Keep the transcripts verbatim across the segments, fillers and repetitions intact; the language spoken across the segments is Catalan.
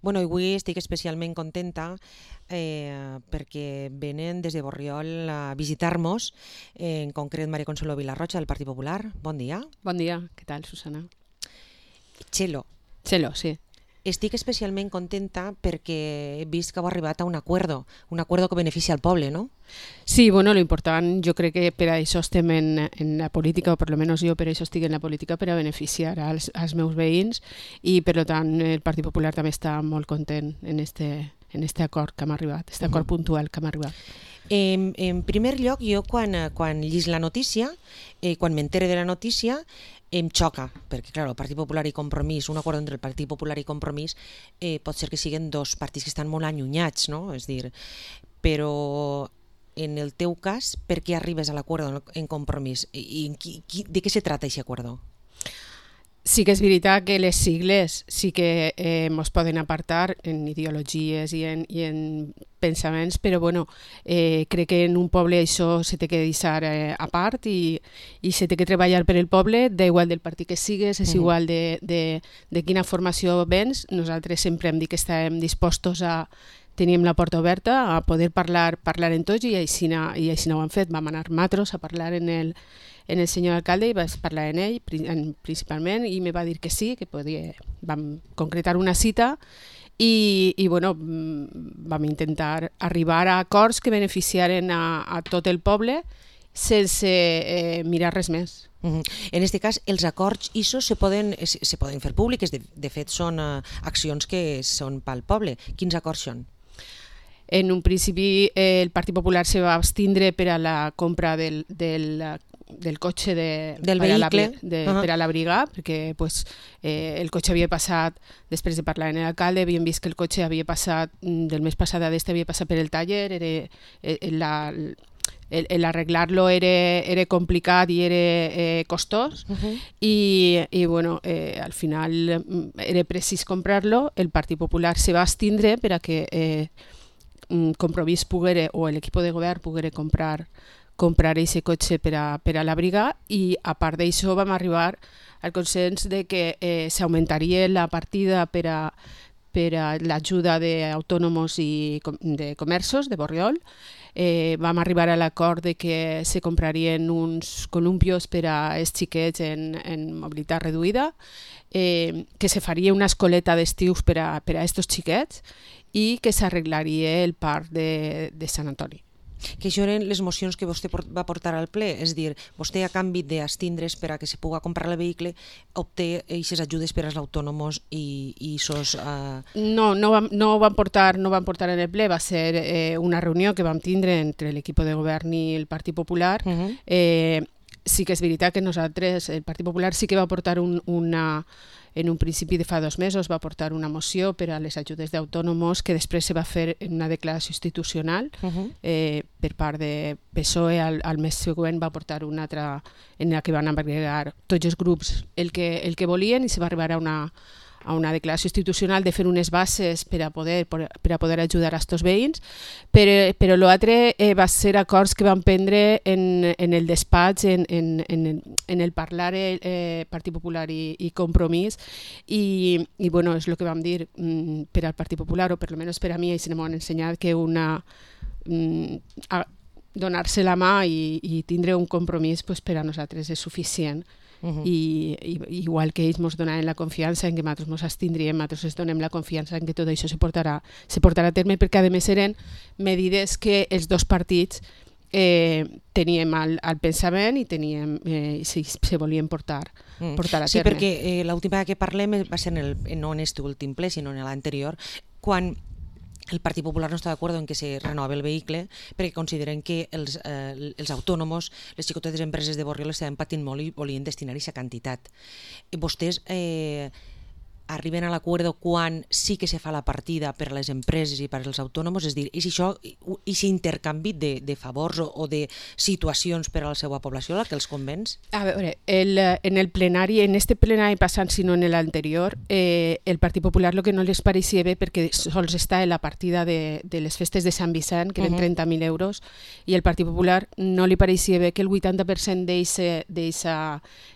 Bueno, avui estic especialment contenta eh, perquè venen des de Borriol a visitar-nos, eh, en concret Maria Consuelo Vilarrocha del Partit Popular. Bon dia. Bon dia, què tal, Susana? Txelo, Txelo, sí. estic especialment contenta perquè he vist que heu arribat a un acuerdo, un acuerdo que beneficia al poble, ¿no? Sí, bueno, lo important, jo crec que per a això estem en, en la política, o per lo menos jo per això estic en la política, per a beneficiar als, als meus veïns, i per tant el Partit Popular també està molt content en este, en este acord que hem arribat, este acord uh-huh. puntual que hem arribat. En, en primer lloc, jo quan, quan llis la notícia, eh, quan m'entere de la notícia, em xoca, perquè clar, el Partit Popular i Compromís, un acord entre el Partit Popular i Compromís, eh, pot ser que siguin dos partits que estan molt allunyats, no? És dir, però en el teu cas, per què arribes a l'acord en Compromís? I, i, qui, de què se trata aquest acord? Sí que és veritat que les sigles sí que eh, ens poden apartar en ideologies i en, i en pensaments, però bueno, eh, crec que en un poble això se té que deixar eh, a part i, i se té que treballar per el poble, d'igual del partit que sigues, és uh-huh. igual de, de, de quina formació vens. Nosaltres sempre hem dit que estàvem dispostos a teníem la porta oberta a poder parlar parlar en tots i així, i així no ho hem fet. Vam anar matros a parlar en el en el senyor alcalde i vaig parlar en ell principalment i me va dir que sí, que podia, vam concretar una cita i, i bueno, vam intentar arribar a acords que beneficiaren a, a tot el poble sense eh, mirar res més. Uh-huh. En aquest cas, els acords I S O se poden, se poden fer públics, de, de fet són uh, accions que són pel poble. Quins acords són? En un principi eh, el Partit Popular se va abstindre per a la compra del, del del cotxe de, del per, vehicle. A la, de, uh-huh. per a l'abrigar, perquè pues, eh, el cotxe havia passat, després de parlar amb l'alcalde, havíem vist que el cotxe havia passat, del mes passat a d'este havia passat per el taller, era, la, l'arreglar-lo era, era complicat i era eh, costós, uh-huh. i, i bueno, eh, al final era precís comprar-lo, el Partit Popular se va abstindre per a que eh, Compromís poguera, o l'equip de govern poguera comprar comprar aquest cotxe per a, per a l'abrigar i a part d'això vam arribar al consens de que eh, s'augmentaria la partida per a, per a l'ajuda d'autònoms i de comerços de Borriol. Eh, vam arribar a l'acord de que se comprarien uns columpios per a els xiquets en, en mobilitat reduïda, eh, que se faria una escoleta d'estius per a, per a estos xiquets i que s'arreglaria el parc de, de Sant Antoni. Que això eren les mocions que vostè va portar al ple, és dir, vostè a canvi d'estindre's per a que se pugui comprar el vehicle obté aquestes ajudes per als autònoms i, i sos... Uh... No, no vam, no vam portar, no vam portar en el ple, va ser eh, una reunió que vam tindre entre l'equip de govern i el Partit Popular. Uh-huh. eh, sí que és veritat que nosaltres, el Partit Popular sí que va portar un, una... En un principi de fa dos mesos va portar una moció per a les ajudes d'autònoms que després se va fer en una declaració institucional uh-huh. eh, per part de P S O E. Al, al mes següent va portar una altra en la que van agregar tots els grups el que, el que volien i se va arribar a una, a una declaració institucional de fer unes bases per a poder, per a poder ajudar a estos veïns, però, però l'altre eh, va ser acords que van prendre en, en el despatx, en, en, en, en el parlar eh, Partit Popular i, i Compromís, i, i bueno, és el que vam dir mm, per al Partit Popular, o per almenys per a mi, i se m'han ensenyat que una... Mm, a, donar-se la mà i, i tindre un compromís pues, per a nosaltres és suficient. Uh-huh. I, i igual que ells ens donaven la confiança en que nosaltres ens abstindríem, nosaltres ens donem la confiança en que tot això se portarà, se portarà a terme, perquè a més eren medides que els dos partits eh, teníem al, al pensament i teníem, eh, si se volien portar, mm. portar a terme. Sí, perquè eh, l'última que parlem va ser en el, no en este últim ple, sinó en l'anterior, quan el Partit Popular no està d'acord en que se renova el vehicle perquè consideren que els, eh, els autònoms, les xicotetes empreses de Borriol estaven patint molt i volien destinar aquesta quantitat. Vostès eh, arriben a l'acord quan sí que se fa la partida per a les empreses i per als autònoms, és dir, és això, aquest intercanvi de, de favors o, o de situacions per a la seva població la que els convenç? A veure, el, en el plenari, en este plenari passant, sinó en l'anterior, eh, el Partit Popular el que no les pareixia bé perquè sols està en la partida de, de les festes de Sant Vicent, que eren uh-huh. trenta mil euros, i el Partit Popular no li pareixia bé que el vuitanta per cent d'aquesta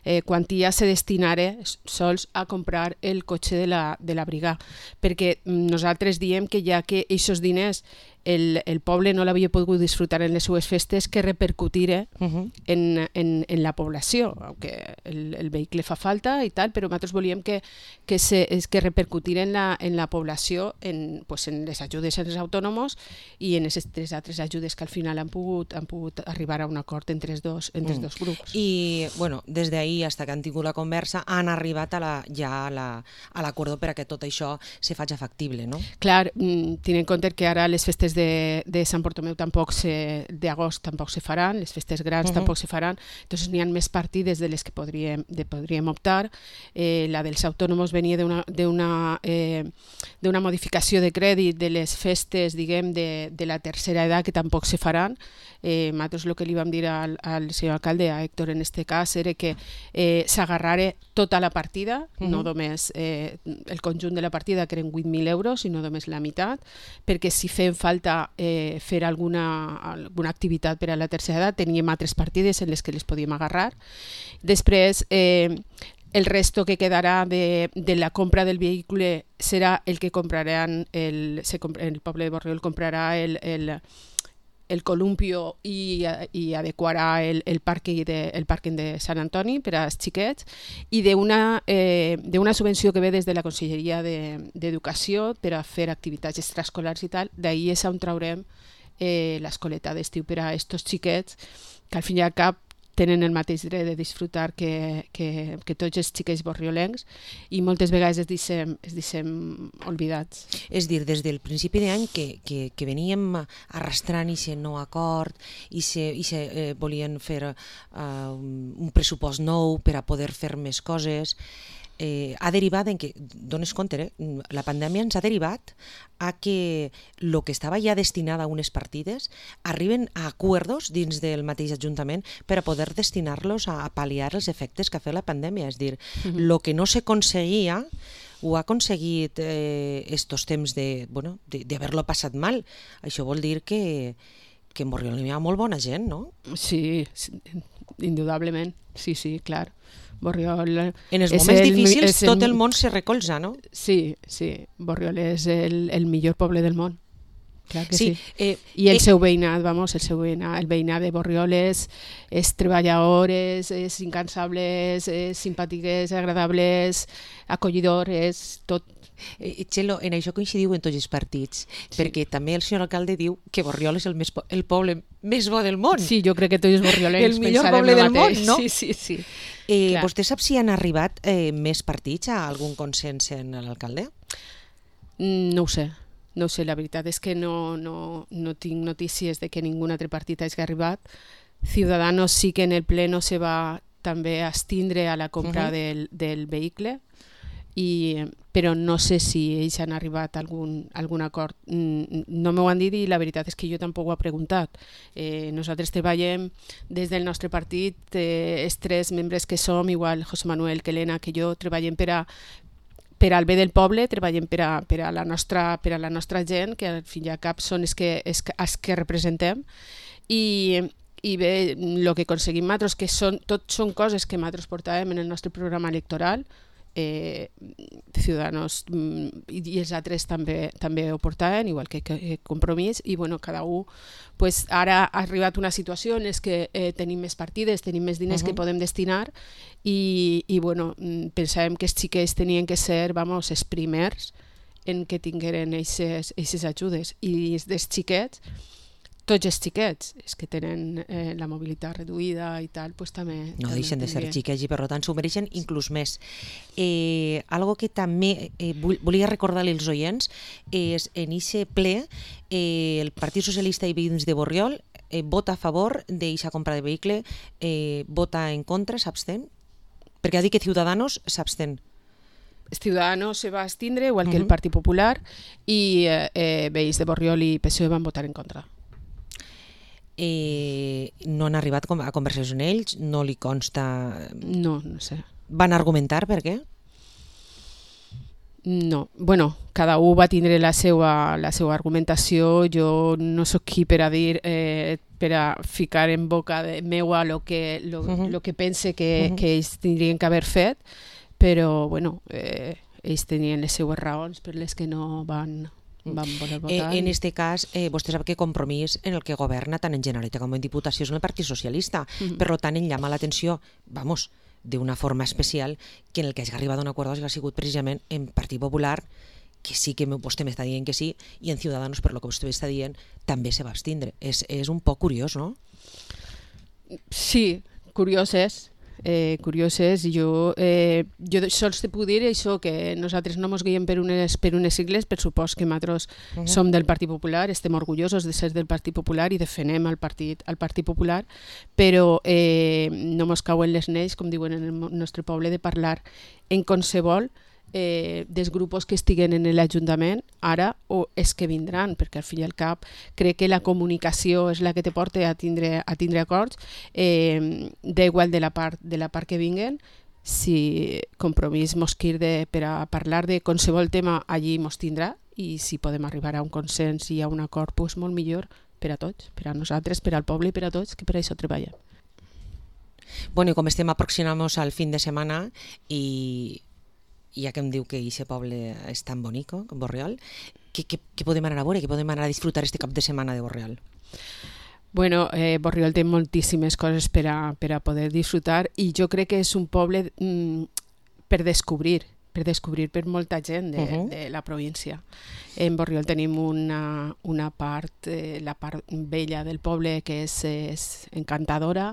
eh, quantia se destinara sols a comprar el cotxe cotxe de la, de la brigada, perquè nosaltres diem que ja que aquests diners el, el poble no l'havia pogut disfrutar en les seues festes, que repercutire uh -huh. en, en, en la població, aunque el, el vehicle fa falta i tal, però nosaltres volíem que, que, se, que repercutire en la, en la població, en, pues en les ajudes als autònoms i en aquestes tres altres ajudes que al final han pogut, han pogut arribar a un acord entre els dos, entre els dos grups. I, bueno, des d'ahir fins que han tingut la conversa, han arribat a la, ja a l'acord la, per a que tot això se faci factible, no? Clar, tenint en compte que ara les festes de, de Sant Bartomeu tampoc se, d'agost tampoc se faran, les festes grans uh -huh. tampoc se faran, entonces n'hi ha més partides de les que podríem, de, podríem optar. Eh, la dels autònoms venia d'una d'una eh, d'una modificació de crèdit de les festes, diguem, de, de la tercera edat, que tampoc se faran. Eh, nosaltres el que li vam dir al, al senyor alcalde, a Héctor en este cas, era que eh, s'agarrara tota la partida, uh -huh. no només eh, el conjunt de la partida, que eren vuit mil euros, sinó només la meitat, perquè si fem falta eh, fer alguna, alguna activitat per a la tercera edat, teníem altres partides en les que les podíem agarrar. Després, eh, el resto que quedarà de, de la compra del vehicle serà el que compraran, el, se, el poble de Borriol comprarà el, el el columpio i, i adequarà el, el pàrquing de, el pàrquing de Sant Antoni per als xiquets, i d'una eh, d'una subvenció que ve des de la Conselleria d'Educació de, per a fer activitats extraescolars i tal, d'ahir és on traurem eh, l'escoleta d'estiu per a aquests xiquets que al fin i al cap tenen el mateix dret de disfrutar que, que, que tots els xiquets borriolencs, i moltes vegades es deixem, es deixem oblidats. És dir, des del principi d'any que, que, que veníem arrastrant aquest nou acord i se, i se eh, volien fer uh, un pressupost nou per a poder fer més coses, eh, ha derivat en que, dones compte, eh? la pandèmia ens ha derivat a que el que estava ja destinat a unes partides arriben a acords dins del mateix Ajuntament per a poder destinar-los a, a pal·liar els efectes que ha fet la pandèmia. És dir, el uh -huh. que no s'aconseguia ho ha aconseguit eh, estos temps de, bueno, d'haver-lo passat mal. Això vol dir que, que en Borriol hi ha molt bona gent, no? Sí, sí, indudablement, sí, sí, clar. Borriol... En els moments el, difícils el, tot el món se recolza, no? Sí, sí. Borriol és el, el millor poble del món. Clar que sí. sí. Eh, I el eh, seu veïnat, vamos, el seu veïnat, el veïnat de Borriol és, és treballador, és, és incansable, és, és simpàtic, és agradable, és acollidor, és tot. Eh, Txelo, en això coincidiu en tots els partits, sí. perquè també el senyor alcalde diu que Borriol és el, més, el poble més bo del món. Sí, jo crec que tots els borriolencs el millor poble del món, no? Sí, sí, sí. Eh, vostè sap si han arribat eh, més partits a algun consens en l'alcalde? Mm, no ho sé. No ho sé, la veritat és que no, no, no tinc notícies de que ningú altre partit hagi arribat. Ciudadanos sí que en el pleno se va també abstindre a la compra uh -huh. del, del vehicle, i, però no sé si ells han arribat a algun, algun acord. No m'ho han dit i la veritat és que jo tampoc ho he preguntat. Eh, nosaltres treballem des del nostre partit, eh, els tres membres que som, igual José Manuel, que Elena, que jo, treballem per a per al bé del poble, treballem per a, per a, la, nostra, per a la nostra gent, que al fin i al cap són els que, els, els que representem, i, i bé, el que aconseguim nosaltres, que són, tot són coses que nosaltres portàvem en el nostre programa electoral, eh, Ciudadanos i, i els altres també, també ho portaven, igual que, que Compromís, i bueno, cada un, pues, ara ha arribat una situació en què eh, tenim més partides, tenim més diners uh -huh. que podem destinar, i, i bueno, pensàvem que els xiquets tenien que ser, vamos, els primers en que tingueren aquestes ajudes, i dels xiquets, tots els xiquets, els que tenen eh, la mobilitat reduïda i tal, pues també... No també deixen de ser tindrien. xiquets i per tant s'ho mereixen inclús més. Eh, algo que també eh, volia recordar als oients és en aquest ple eh, el Partit Socialista i Veïns de Borriol eh, vota a favor d'aquesta compra de vehicle, eh, vota en contra, s'abstén? Perquè ha dit que Ciudadanos s'abstén. Ciudadanos se va abstindre, igual que uh -huh. el Partit Popular, i eh, eh, Veïns de Borriol i P S O E van votar en contra. Eh, no han arribat a conversacions amb ells, no li consta... No, no sé. Van argumentar per què? No, bueno, cada un va tindre la seva, la seva argumentació, jo no sóc qui per a dir, eh, per a ficar en boca de meua lo que, lo, uh -huh. lo que pense que, uh -huh. que ells tindrien que haver fet, però bueno, eh, ells tenien les seues raons per les que no van, van voler votar. Eh, en este cas, eh, vostè sap que Compromís en el que governa tant en Generalitat com en Diputació és en el Partit Socialista. Mm-hmm. Per tant, em llama l'atenció, vamos, d'una forma especial, que en el que hagi arribat a un acord ha sigut precisament en Partit Popular, que sí que vostè m'està dient que sí, i en Ciudadanos, per lo que vostè està dient, també se va abstindre. És, és un poc curiós, no? Sí, curiós és. Eh, curiós és. Jo, eh, jo sols te puc dir això, que nosaltres no ens guiem per unes, per unes sigles, per supòs que nosaltres uh-huh. som del Partit Popular, estem orgullosos de ser del Partit Popular i defenem el Partit, el Partit Popular, però eh, no ens cauen les neix, com diuen en el nostre poble, de parlar en qualsevol Eh, dels grups que estiguen en l'Ajuntament ara o és que vindran, perquè al fi i al cap crec que la comunicació és la que te porta a tindre, a tindre acords, eh, d'igual de la part de la part que vinguen. Si Compromís mos quirde per a parlar de qualsevol tema, allí mos tindrà, i si podem arribar a un consens i a un acord, pues molt millor per a tots, per a nosaltres, per al poble i per a tots, que per això treballem. Bueno, i com estem aproximant-nos al fin de setmana i ja que em diu que aquest poble és tan bonico, com Borriol, què, què, què podem anar a veure, què podem anar a disfrutar este cap de setmana de Borriol? Bueno, eh, Borriol té moltíssimes coses per a, per a poder disfrutar i jo crec que és un poble mm, per descobrir, per descobrir per molta gent de, uh-huh. de la província. En Borriol tenim una, una part, eh, la part vella del poble que és, és encantadora,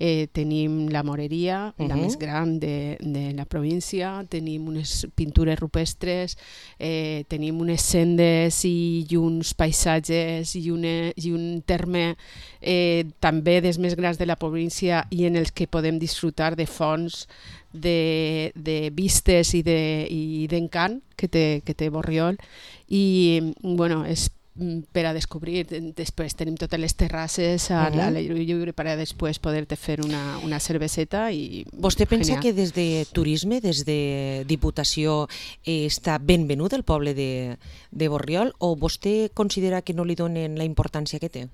eh, tenim la moreria, uh-huh. la més gran de, de la província, tenim unes pintures rupestres, eh, tenim unes sendes i, i uns paisatges i, una, i un terme eh, també dels més grans de la província i en els que podem disfrutar de fonts, de, de vistes i d'encant de, que, té, que té Borriol i bueno, és per a descobrir. Després tenim totes les terrasses a uh-huh. l'aire lliure per a després poder-te fer una, una cerveseta. I vostè pensa genial. Que des de turisme, des de Diputació, eh, està ben venut el poble de, de Borriol o vostè considera que no li donen la importància que té?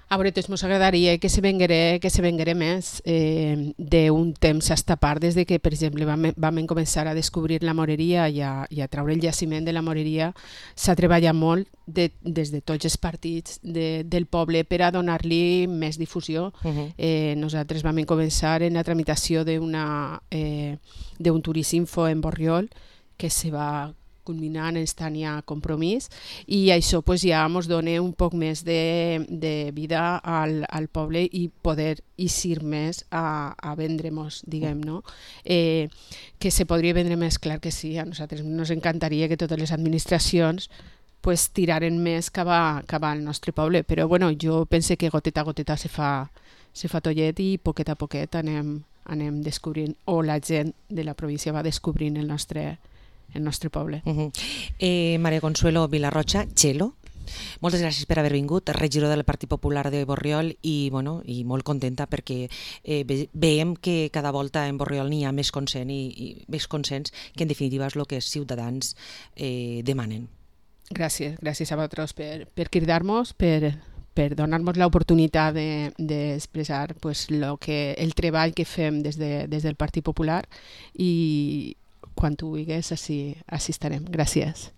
A veure, doncs ens agradaria que se venguera, que se venguera més eh, d'un temps a esta part, des de que, per exemple, vam, vam començar a descobrir la moreria i a, i a treure el jaciment de la moreria. S'ha treballat molt de, des de tots els partits de, del poble per a donar-li més difusió. Uh-huh. Eh, nosaltres vam començar en la tramitació d'una, eh, d'un Turisminfo en Borriol que se va culminant este any a Compromís i això pues, ja ens dona un poc més de, de vida al, al poble i poder eixir més a, a vendre-nos, diguem, no? Eh, que se podria vendre més, clar que sí, a nosaltres ens encantaria que totes les administracions pues, tiraren més cap, a, cap al nostre poble, però bueno, jo pense que goteta a goteta se fa, se fa tollet i poquet a poquet anem, anem descobrint, o la gent de la província va descobrint el nostre el nostre poble. Uh-huh. eh, Maria Consuelo Vilarrocha, Txelo, moltes gràcies per haver vingut, regidor del Partit Popular de Borriol i, bueno, i molt contenta perquè eh, ve, veiem que cada volta en Borriol n'hi ha més consens i, i més consens que en definitiva és el que els ciutadans eh, demanen. Gràcies, gràcies a vosaltres per, per cridar-nos, per, per donar-nos l'oportunitat d'expressar de, pues, lo que, el treball que fem des, de, des del Partit Popular i quan tu vulguis, així, així estarem. Gràcies.